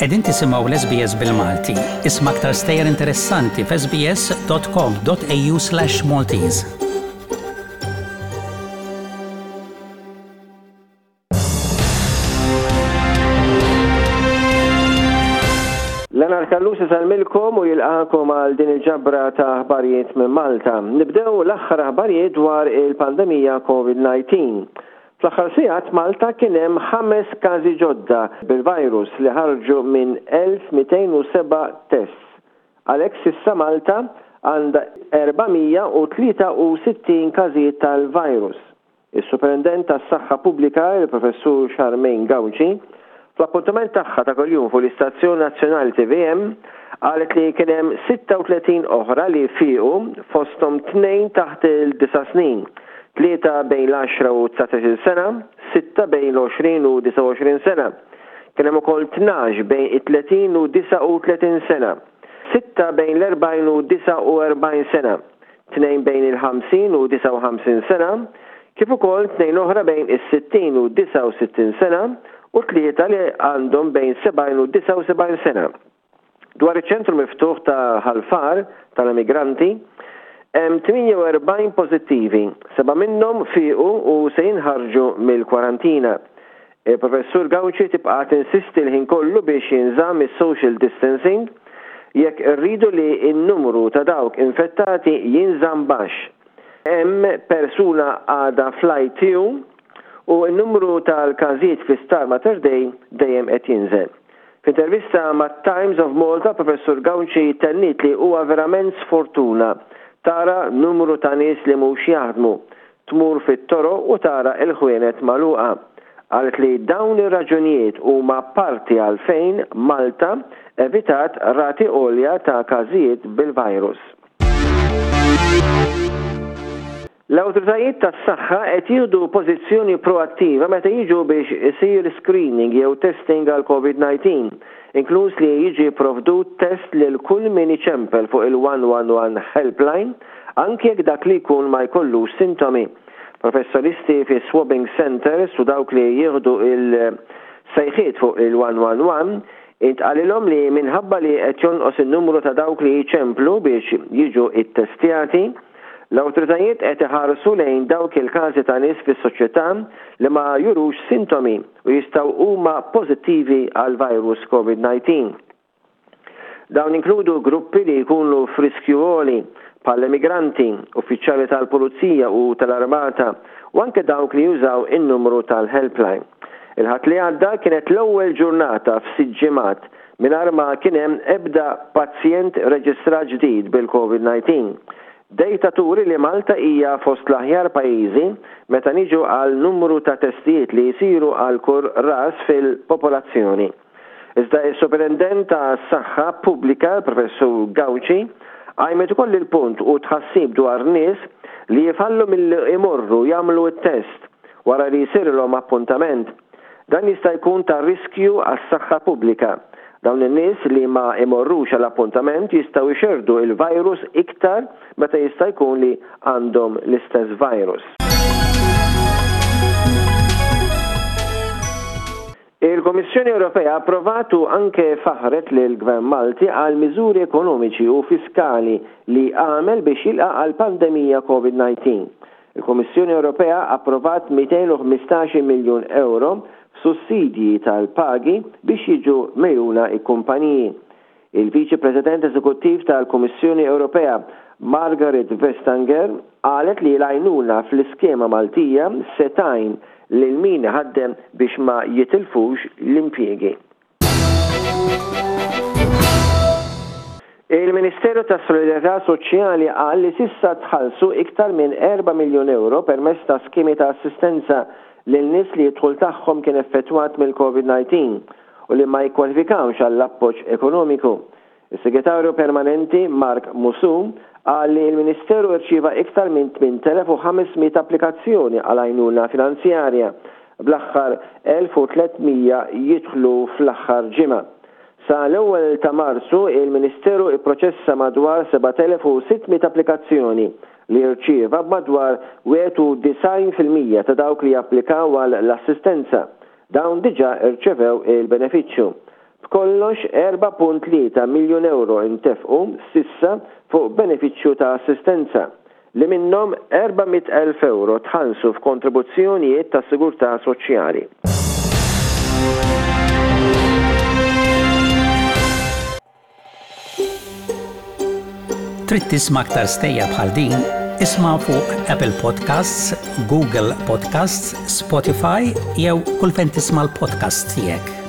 Qegħdin tisimgħu l-SBS bil-Malti. Isma' aktar stejjer interessanti f'sbs.com.au/maltese. Leonard Callus isellmilkom u jilqakom għal din il-ġabra ta' aħbarijiet minn Malta. Nibdew l-aħħar aħbarijiet dwar il-pandemija COVID-19. Fl-aħħar sigħat Malta kien hemm ħames każi ġodda bil-virus li ħarġu minn 1207 tests. Għalhekk s'issa Malta għandha 463 każijiet tal-virus. Is-Superintendent tas-Saħħa Pubblika, il-Professur Charmaine Gauci, fl-appuntament tagħha ta' kuljum fuq l-istazzjon nazzjonali tvm, qalet li kien hemm 36 oħra li fiequ fosthom tnejn taħt il-disa' snin, tlieta bejn l-għaxra u dsatax-il sena, sitta bejn l-20 u 29 sena. Kien hemm ukoll 12 bejn it-30 u 39 sena, sitta bejn l-40 u 49 sena. tnejn bejn il-50 u 59 sena, kif ukoll tnejn oħra bejn is-60 u 69 sena u tlieta li għandhom bejn 70 u 79 sena. Dwar iċ-ċentru miftuħ ta' Ħal Far tal-emigranti, hemm 48 pożittivi, sebgħa minnhom fiequ u se jinħarġu mill-kwarantina. Il-Professur Gauci tibqa' tinsisti l-ħin kollu biex jinżamm is-social distancing jekk irridu li n-numru ta' dawk infettati jinżamm baxx. Hemm persuna għadha fl-ITU u n-numru tal-każijiet fl-Isptar Mater Dei dejjem qed jinżel. F'intervista mat-Times of Malta, Professur Gauci tenniet li huwa verament sfortuna tara numru ta' nies li mhux jaħdmu, tmur fit-toroq u tara l-ħwienet magħluqa. Qalet li dawn ir-raġunijiet huma parti għalfejn Malta evitat rati għolja ta' każijiet bil-virus. L-awtoritajiet tas-saħħa qed jieħdu pożizzjoni proattiva meta jiġu biex isir screening jew testing għall-Covid-19, inkluż li jiġi pprovdut test lil kull min iċempel fuq il-111 helpline anki jekk dak li jkun ma jkollux sintomi. Professjonisti fi swabbing centres u dawk li jieħdu il-sejħiet fuq il-111 intqalilhom li minħabba li qed jonqos in-numru ta' dawk li jċemplu biex jiġu ttestjati, l-awtoritajiet qed iħarsu lejn dawk il-każi ta' nies fis-soċjetà li ma jurux sintomi u jistgħu huma pożittivi għall-virus Covid-19. Dawn jinkludu gruppi li jkunu f'riskju għoli, bħall-emigranti, uffiċjali tal-pulizija u tal-armata, u anke dawk li jużaw in-numru tal-helpline. Il-Ħadd li għadda kienet l-ewwel ġurnata f'sitt ġimgħat mingħajr ma kien hemm ebda pazjent reġistrat ġdid bil-Covid-19. Dejta turi li Malta hija fost l-aħjar pajjiżi meta niġu għal numru ta' testijiet li jsiru għal kull ras fil-popolazzjoni. Iżda s-Superintendent tas-Saħħa Pubblika, l-Professur Gauci, qajmet ukoll il-punt u tħassib dwar nies li jifallu milli jmorru jagħmlu t-test wara li jsirilhom appuntament. Dan jista' jkun ta' riskju għas-saħħa pubblika. Dawn in-nies li ma jmorrux għal appuntament jistgħu jxerrdu l-virus iktar meta jista' jkun li għandhom l-istess virus. Il-Kummissjoni Ewropea approvat u anke faħħret lill-Gvern Malti għal miżuri ekonomiċi u fiskali li għamel biex jilqa' għall-pandemija Covid-19. Il-Kummissjoni Ewropea approvat 215 miljun ewro f'sussidji tal-pagi biex jiġu megħjuna l-kumpaniji. Il-Viċi President Eżekuttiv tal-Kummissjoni Ewropea, Margaret Vestanger, qalet li l-għajnuna fl-iskema Maltija se tgħin lil min iħaddem biex ma jitilfux l-impjiegi. Il-Ministeru tas-Solidarjetà Soċjali qal li s'issa tħallsu iktar minn erba' miljun ewro permezz ta' skemi ta' assistenza lil nies li d-dħul tagħhom kien effettwat mill-Covid-19. u li ma jikkwalifikawx għall-appoġġ ekonomiku. Is-Segretarju Permanenti Mark Musù qal li l-Ministeru rċieva iktar minn 8,500 applikazzjoni għal għajnuna finanzjarja, bl-aħħar 1,300 jidħlu fl-aħħar ġimgħa. Sa l-ewwel ta' Marzu, il-Ministeru pproċessa madwar 7,600 applikazzjoni li rċieva b'madwar 91% ta' dawk li applikaw għal l-assistenza Dawn diġà rċevew il-benefiċċju. B'kollox 4.3 miljun ewro ntefqu s'issa fuq benefiċċju ta' assistenza, li minnhom 400,000 ewro tħallsu f'kontribuzzjonijiet tas-sigurtà soċjali. Trid tisma' aktar stejjer bħal din? Isma' fuq Apple Podcasts, Google Podcasts, Spotify jew kull fejn tisma' l-podcasts tiegħek.